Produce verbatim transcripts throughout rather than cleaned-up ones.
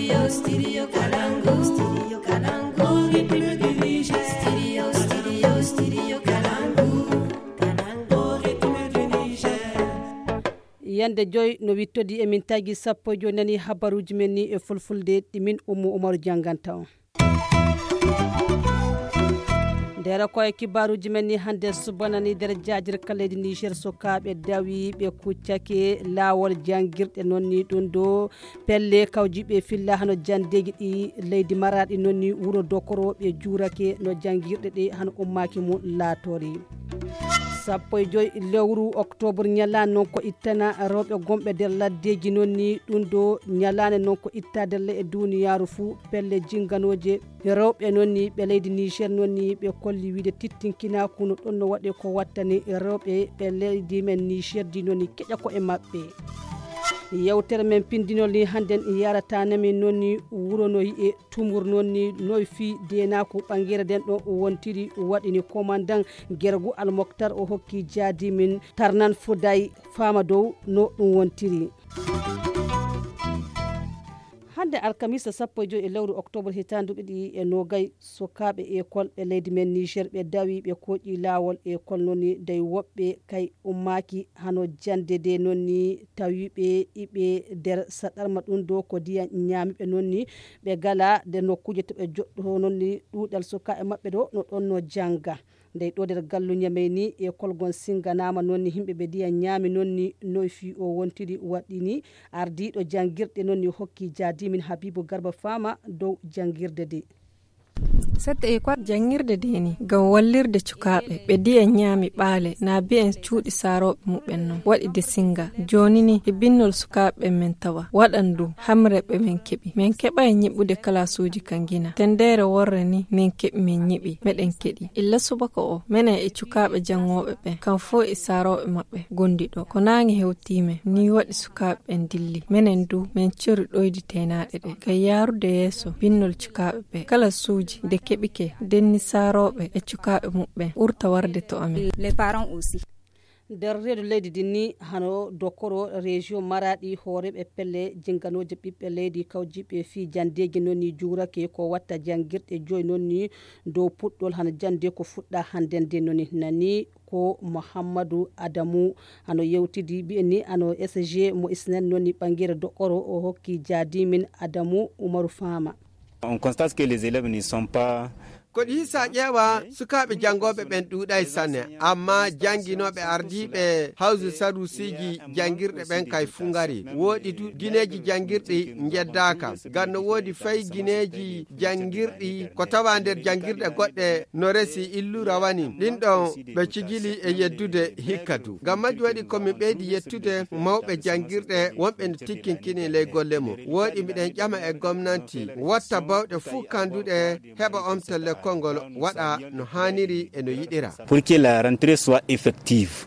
Studio, studio Kalangu, studio Kalangu, ritme du Niger. Studio, studio, studio Kalangu, Kalangu, ritme du Niger. Yande joy no wittodi emin tagi sappo jo nani habaruji men ni e fulfulde dimin Ummu Umaru janganta on. Dera koye kibaruji men ni hande subanani der jajir kaledi Niger sokabe dawi be kuccake lawol jangirde nonni dun do pelle kawjibe filla hano jandeji di leydi maradi nonni wuro dokoro be jurake no jangirde de hano ummaki mu latori. sappo e joyi lewru octobre nyalane non ko ittana rewbe gombe der laddeji nonni dun do nyalane non ko ittade le e duniyaru fu pelle jinganoje rewbe nonni be leydi Niger nonni be kolli wiide tittinkina kuno don no wade ko wattani rewbe be leydi men Niger di nonni keja ko e mabbe. Yewtere men pindinol ni handen yarata nami nonni wuro no e tumur nonni no fi dena ko bangere den do wontiri wadini commandant Gergu Al Mokhtar o hokki jadi min tarnan fuday fama dow no dum wontiri. Hande alkamisa sappo jo e lewru octobre hitandu bidi e nogay sokabe école e leydi men Niger be dawi be koji lawol école nonni day wobbe kay ummaki hano jande de nonni tawibe ibe der sadarma dun do ko diya nyaami be nonni be gala de nokkuje to be joddo nonni dudal soka e mabbe do no don no janga ndey do der gallu nyameni école gon singanama nonni himbe be diya nyaami nonni no fi o wontiri wadini ardido jangirde nonni hokki jadi min Habibu Garba Fama dow jangirde de. Sette école jangirde deni gam wallirde cukabe be diya nyaami baale na bien cuudi sarobe mubben non wadi de singa joni ni e binnol sukabe men tawa wadandu hamrebe men kebi men keba e nyibude kalasuji kangina tendere worre ni men kebi men nyibi meden kedi illa subaka o mena e cukabe jangobe be kan fo e sarobe mabbe gondido ko nangi hewtime ni wadi sukabe en dilli menen du men ciru doydi tenade de kay yarude yeso binnol cukabe be kalasuji de kebike denni sarobe e cukabe mubbe urta warde to amen les parents aussi der redu leydi dinni hano dokoro région maradi horebe pelle jinganoje bibbe leydi kawjibe fi jandeji nonni jurake ko watta jangirde joy nonni do puddol hano jande ko fudda handen de nonni nani ko Muhammadu Adamu hano yewtidi bi ni ano S G mo isnen nonni bangere dokoro o hokki jadi min Adamu Umaru Fama. On constate que les élèves ne sont pas ko hisa ƴeewa sukaaɓe janngoɓe ɓen ɗuuɗay sanne amma jannginoɓe ardiiɓe hawsu sarusiji janngirɗe ɓen kay fu ngari woodi du gineeji janngirɗi jeddaaka ngam no woodi fay gineeji janngirɗi ko tawa nder janngirɗe goɗɗe no resi illu rawani ɗin ɗon ɓe cigili e yeddude hikka du ngam majji waɗi komin ɓeydi yettude mawɓe janngirɗe wonɓe no tikkinkini ley golle mum woodi mbiɗen ƴama e gomnanti watta bawɗe fuu kanduɗe heɓa omtelle kongol wada no haniri e no yidira pour que la rentrée soit effective.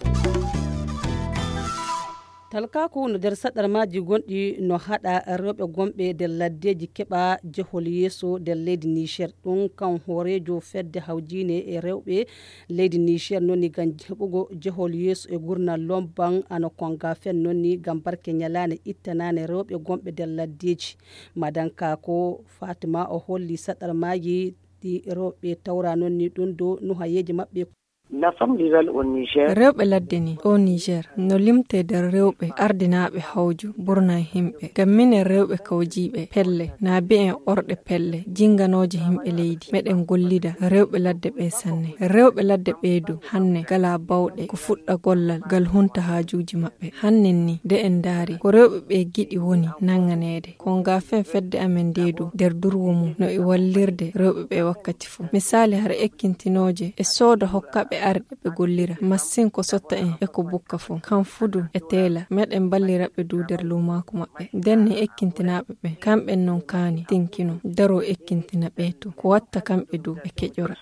Talka ko no der sadar maji gondi no hada rewbe gombe de laddeji keba jehol yeso de leydi Niger dun kan horejo fedde hawjine e rewbe leydi Niger noni gan hebugo jehol yeso e gurna lomban ano konga fen noni gam barke nyalane ittanane rewbe gombe de laddeji madanka ko Fatima o holli sadar maji di rewbe tawra nonni dun do no hayeji mabbe. La femme rurale au Niger. Rewbe laddeni o Niger no limte der rewbe ardinaabe hawju burna himbe gammine rewbe kawjibe pelle na be en orde pelle jinganoje himbe leydi meden gollida rewbe ladde be sanne rewbe ladde beedu hanne gala bawde ko fudda gollal gal hunta haajuji mabbe hannen ni de en daari ko rewbe be gidi woni nanganede ko ngafen fedde amen deedu der durwumu no e wallirde rewbe be wakkati fu misali har ekkintinoje e soda hokkabe arde be gollira masin ko sotta en e ko bukka fu kan fudu e tela meden ballira be du der lumaako mabbe denni ekkintinabe be kambe non kani tinkino daro ekkintina be to ko watta kambe du e kejora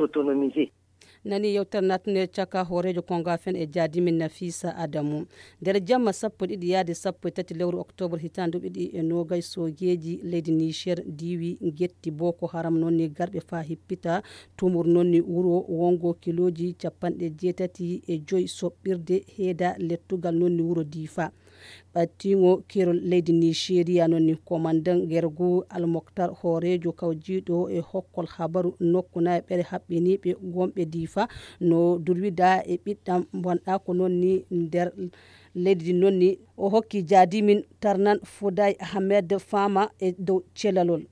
nani yewter natne chaka horejo konga fen e jadimin Nafisa Adamu der jamma sappo didi yaade sappo tati lewru octobre hitandu bidi e nogay sogeji leydi Niger diwi getti Boko Haram nonni garbe fa hippita tumur nonni wuro wongo kiloji capande jetati e joy sobbirde heeda lettugal nonni wuro Difa ɓattigo kerol leydi Nigeria nonni commandant gergu Almoktar Horejo kawjiɗo e hokkol habaru nokkuna e ɓere haɓɓiniɓe gomɓe Difa no durwida e ɓiɗɗam bonɗa ko nonni nder leydi nonni o hokki jaadimin Tarnan Fouday Ahmed Fama e dow celalol.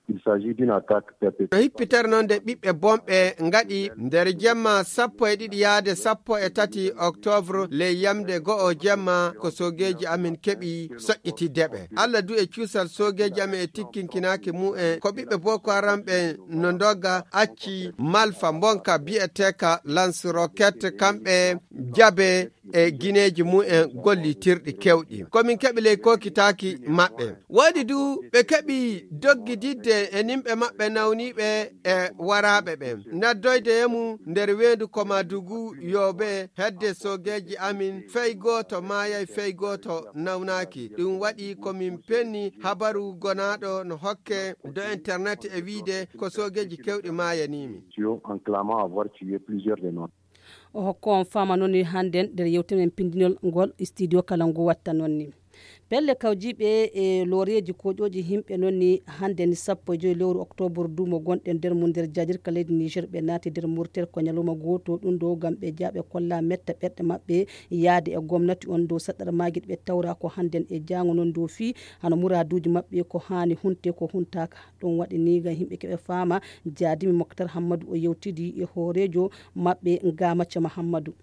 Il s'agit d'une attaque perpétrée. No hippitere noon nde ɓiɓɓe bomɓe ngaɗi nder jemma sappo e ɗiɗi yaade sappo e tati octobre ley yamde go'o jemma ko sogeji amin keɓi soƴƴitiddeɓe. Allah du e cuusal sogeji amin e tikkinkinaki mu'en ko ɓiɓɓe Boko Haram ɓe no dogga acci malfa bonka bi'eteka lance roquette kamɓe jabe e guineji mu'en gollitirɗi kewɗi komin keɓi ley kokitaki maɓɓe. Woodi du ɓe keɓi doggididde e nimɓe maɓɓe nawniɓe e waraɓe ɓe naddoyde yemu nder wendu Komadugu yobe hedde sogeji amin fey goto mayay fey goto nawnaki. Ɗum waɗi komin penni habaru gonaɗo no hokke do internet e wiide ko sogeji kewɗi mayanimi en clamant avoir tué plusieurs de nos. O hokko on fama nonni handen nder yewtere men pindinol ngol studio Kalangu watta nonni. Pelle kawjiɓe e loreji koƴoji himɓe nonni hande ni sappo e joyi lewru octobre dumo gonɗe nder mum nder jajirka leydi Niger ɓe naati nder murtel ko nyaluma goto ɗum ɗo gam ɓe jaaɓe kolla metta ɓerɗe maɓɓe yaade e gomnati on dow saɗɗara maguiɗe ɓe tawra ko handen e jango non dow fi hano muraduji maɓɓe ko hani hunte ko huntaka. Ɗum waɗi ni gam yimɓe keɓe fama jaadimi Moktar Hammadou o yewtidi e horejo maɓɓe Ngamacha Mahamadou.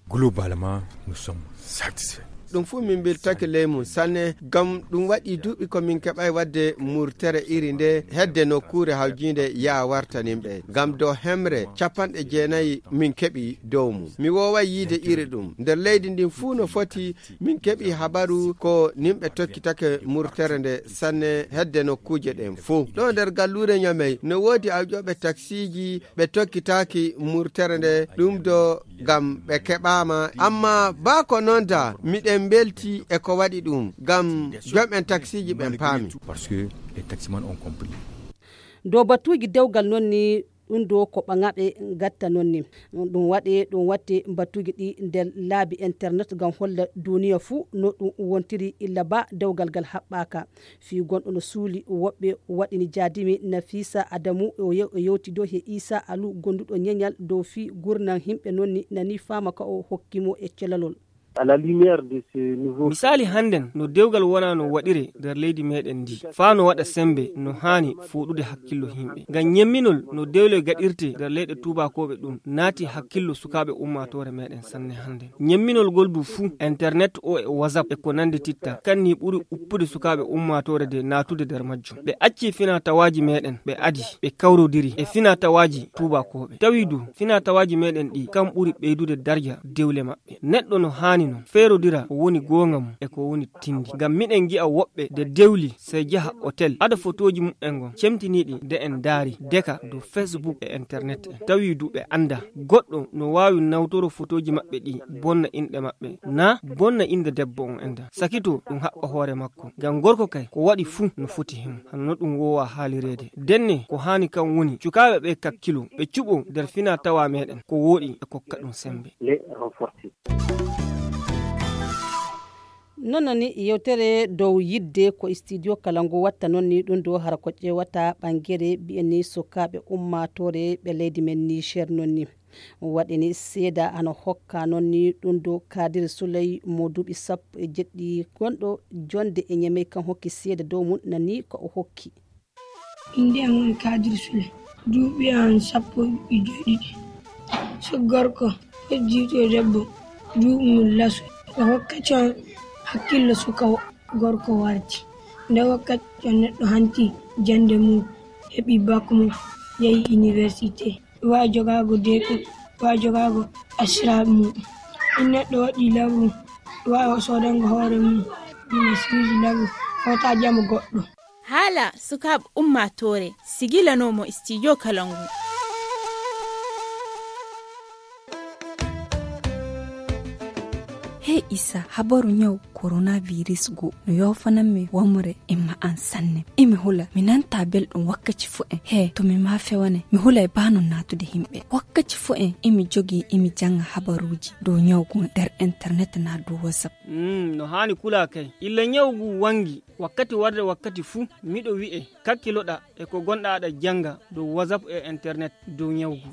Globalement nous sommes satisfaits. ɗum fu min biltake ley mum sanne gam ɗum waɗi duuɓi komin keɓay wadde murtere iri nde hedde nokkure hawjinde ya wartanimɓe gam dow hemre capanɗe jeenayyi min keɓi dow mum mi woway yiide iri ɗum nder leydi ndin fuu no foti min keɓi habaru ko nimɓe tokkitake murtere nde sanne hedde nokkuje ɗen fuu ɗo nder gallure ñamey no woodi awƴoɓe taxiji ɓe tokkitaki murtere nde ɗum do gam ɓe keɓama amma ba ko nonta miɗen belti e ko waɗi ɗum gam jomɓen taxiji ɓen paami parce que les taximans ont compris. Dow batuji dewgal nonni ɗum do ko ɓagaɓe gatta nonni ɗum waɗe ɗum watte batuji ɗi nder laabi internet gam holla duniya fuu no ɗum wontiri illa ba dewgal gal haɓɓaka fi gonɗo no suuli woɓɓe waɗini jaadimi Nafisa Adamu o yewti dow he Isa Alu gonduɗo ñeñal dow fi gurnan himɓe nonni nani fama ka o hokkimo e celalol. À la lumière de ce nouveau misali handen no dewgal wona no waɗire nder leydi meɗen ndi fa no waɗa sembe no hani fuɗude hakkillo himɓe ngam nyemminol no dewle gaɗirte nder leyɗe tubakoɓe ɗum naati hakkillo sukaɓe ummatore meɗen sanne handen nyemminol gol du fuu internet o e whatsapp e ko nande titta kanni ɓuri uppude sukaɓe ummatore de natude nder majjum ɓe acci fina tawaji meɗen ɓe adi ɓe kawrodiri e fina tawaji tubakoɓe tawi du fina tawaji meɗen ɗi kam ɓuri ɓeydude darja dewle maɓɓe neɗɗo no hani non feerodira ko woni gonga mum e ko woni tindi ngam miɗen gi'a woɓɓe de dewli sey jaha hotel ada photoji mumɓen gon cemtiniɗi de en daari deka do Facebook e internet en tawi du ɓe anda goɗɗo no wawi nawtoro photoji maɓɓe ɗi bonna inɗe maɓɓe na bonna inde debbo on enda sakito ɗum haɓɓa hoore makko ngam gorko kay ko waɗi fuu no foti himo hanno ɗum wowa haalirede denne ko hani kam woni cukaɓe ɓe kakkilo ɓe cuɓo nder fina tawa meɗen ko woɗi e kokka ɗum sembe. non ni yewtere dow yidde ko studio Kalangu watta non ni ɗum do har ko ƴewata ɓangere biyeni sukaɓe ummatore ɓe leydi men Niger non ni waɗini seeda ano hokka non ni ɗum do Kadir Souley mo duuɓi sappo e jeɗɗi gonɗo jonde e ñamey kan hokki seeda dow mum nani ko o hokki. Inde am woni Kadir Souley duuɓi an sappo e joɗɗiɗi so gorko heddiɗo debbo duuɓi laso o hokkata hakkillo suka gorko warti nde wakkati on neɗɗo hanti jande mum heɓi bac mum yehi université wawi jogago deɗum wawi jogago asiraɓe mum ɗum neɗɗo waɗi lawru wawi sodango hoore mum ɗum siji lawru hota jamo goɗɗo haala sukaɓe ummatore sigilanomo studio Kalangu. he isa habaru nyaw coronavirus go no yofanan me wamre imma an sanne imi hula minanta beldum wakkati fu en he to mi ma fewane mi hula e banu natude himbe wakkati fu en imi jogi imi janga habaruji do nyawgu der internet na do whatsapp mm no hani kula kai illa nyawgu wangi wakkati warde wakkati fu mido wi'e kakkiloda e ko gonda da janga do whatsapp e internet do nyawgu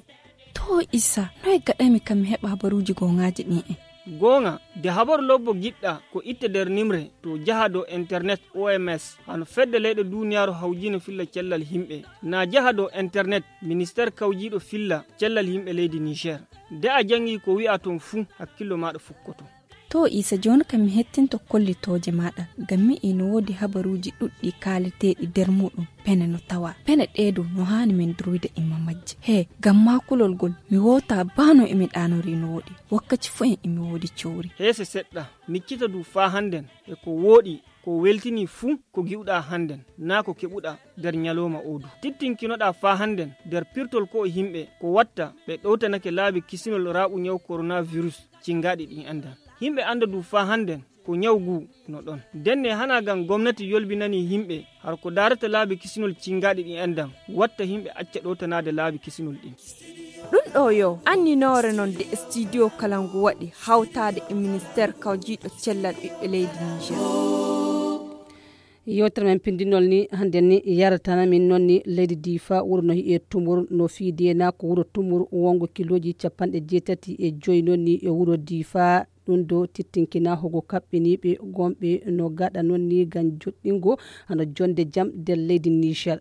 to isa noy gadami kam heba habaruji go ngaji ni e gonga de habar lobbo gidda ko itte der nimre to jaha do internet O M S hano fedde leyde duniyaaru hawjino filla cellal himbe na jaha do internet ministère kawjido filla cellal himbe leydi Niger de a jangi ko wi'a ton fu hakkilo maado fukkoto to isa joni kam hettinto kollitoje mada gammi ino wodi habaruji duddi kaliteedi der mudum pene no tawa pene deedo no hani min druide imma majje he gamma kulol gol mi wota bano emi danori no wodi wakkati fu en emi wodi ciori hese sedda miccita du fa handen e ko wodi ko weltini fu ko giwda handen na ko kebuda der nyaloma odu tittinkinoda fa handen der pirtol ko himbe ko watta be dowtanake laabi kisinol rabu nyaw coronavirus cingadi din anda himbe anda du fa handen ko nyawgu no don denne hana gan gomnati yolbinani himbe har ko darata laabi kisinol cingadi din anda watta himbe acca dowtanade laabi kisinol din dun do yo anni nore non de studio kalangu wadi hawtade e ministère kawjido cellal bibbe leydi Niger yotere men pindinol ni hande ni yaratana min nonni leydi Difa wuro no e tumur no fiide na ko wuro tumur wongo kiloji capande jeetati e joyi nonni e wuro Difa ɗum do tittinkina hogo kaɓɓiniɓe gomɓe no gaɗa nonni gan joɗɗingo hano jonde jam nder leydi Niger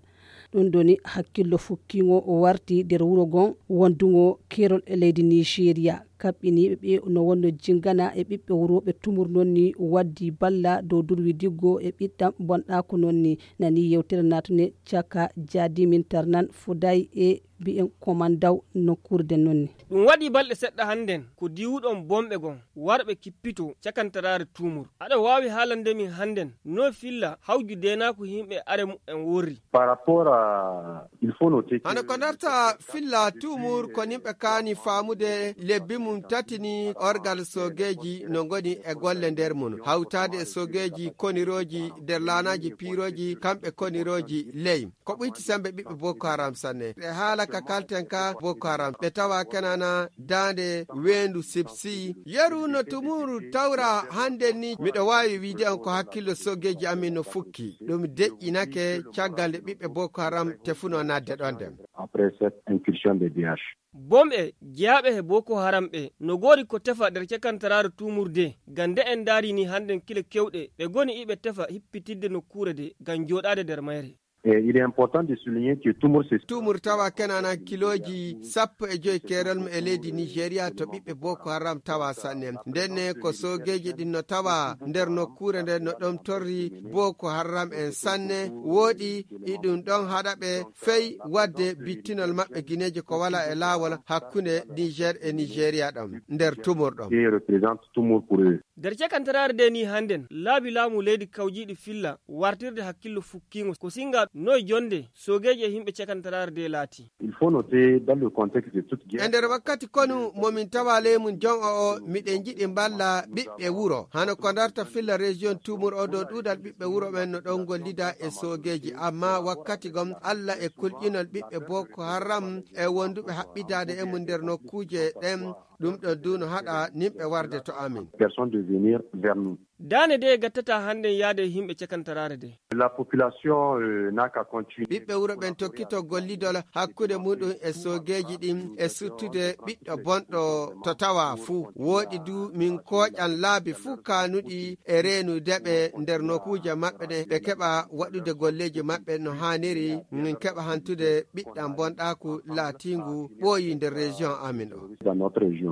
ɗum doni hakkillo fukkigo o warti nder wuro gon wondugo kerol e leydi Nigeria kaɓɓiniɓe ɓe no wonno jingana e ɓiɓɓe wuroɓe tumur nonni waddi balla dow durwi diggo e ɓiɗɗam bonɗako nonni nani yewtere natune caka jadi min tarnan fuday e bi'en komandaw nokkurde nonni ɗum waɗi balɗe seɗɗa handen ko diwuɗon bomɓe gon warɓe kippito cakantarare tumur aɗa wawi haalande min handen no filla hawju denako himɓe are en worri par rapport à il faut noter hano ko darta filla tumur ko nimɓe kani famude lebbi mum tatini orgal sogeji no goni e golle nder mun hawtade e sogeji koniroji nder lanaji piroji kamɓe koniroji ley ko ɓuyti sembe ɓiɓɓe Boko Haram sanne e haala ka kalten ka Boko Haram ɓe tawa kenana dande wendu sipsi yeru no tumuru tawra hande ni miɗo wawi wiide on ko hakkillo sogeji amin no fukki ɗum deƴƴinake caggal nde ɓiɓɓe Boko Haram tefuno nadde ɗon nden après cette incursion de D H bomɓe jeyaɓe he Boko Haram ɓe no gori ko tefa nder cakantarare tumurde gande en darini handen kile kewɗe ɓe goni iɓe tefa hippitidde nokkure de gam joɗade nder mayre. Et il est important de souligner que Tumur c'est Tumur tawa kenana kiloji sappo e joyi kerol e leydi Nigeria to ɓiɓɓe Boko Haram tawa sanne ndenne ko sogeji ɗin no tawa nder nokkure nde no ɗon torri Boko Haram en sanne woɗi iɗum ɗon haɗa ɓe fey wadde bittinol maɓɓe guineji ko wala e lawol hakkunde Niger e Nigeria ɗon nder Tumur ɗon qui représente Tumur pour eux. Der cakantarare de ni handen laabi laamu leydi kawjiɗi filla wartirde hakkillo fukkingo ko singa noy jonde sogeje himɓe cakantarare de laati. Il faut noter dans le contexte de toute guerre. E nder wakkati konu momin tawa leymun jon o o miɗen jiɗi mballa ɓiɓɓe wuro hano ko darta filla région Tumur o dow ɗuɗal ɓiɓɓe wuro ɓen no ɗon gollida e sogeji amma wakkati gom Allah e kulƴinol ɓiɓɓe Boko Haram e wonduɓe haɓɓidade e mum nder nokkuje ɗen ɗum ɗo duno haɗa nimɓe warde to amin. Personne de venir vers nous. dane de gattata handen yaade himɓe cakantarare de La population euh, n'a qu'à continuer. ɓiɓɓe wuro ɓen tokkito gollidol hakkude muɗum e sogeji ɗin e suttude ɓiɗɗo bonɗo to tawa fuu woɗi du min koƴan laabi fuu kanuɗi e renudeɓe nder nokkuje maɓɓe ɗe ɓe keɓa waɗude golleji maɓɓe no haniri min keɓa hantude ɓiɗɗam bonɗaku laatingu ɓooyi nder région amin o. Dans notre région.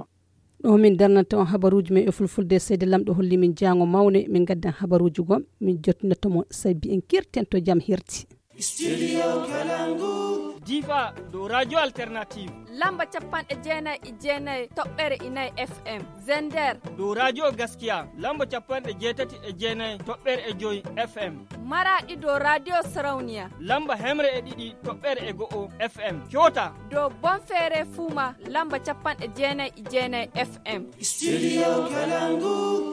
ɗo min darnanta on habaruji men e fulfulde seyde lamɗo holli min jango mawne min gaddan habaruji gom min jottinatomo sabi en kirten to jam hirti. Studio Kalangu. Difa do radio alternative lamba capanɗe jeenayi e jeenayi toɓɓere inayi F M. Zender do radio gaskiya lamba capanɗe jeetati e jeenayi toɓɓere e joyi F M. Maraɗi do radio Sarauniya lamba hemre e ɗiɗi toɓɓere e go'o F M. Kyota do Bonfere Fuma lamba capanɗe jeenayi e jeenayi F M. Studio Kalangu.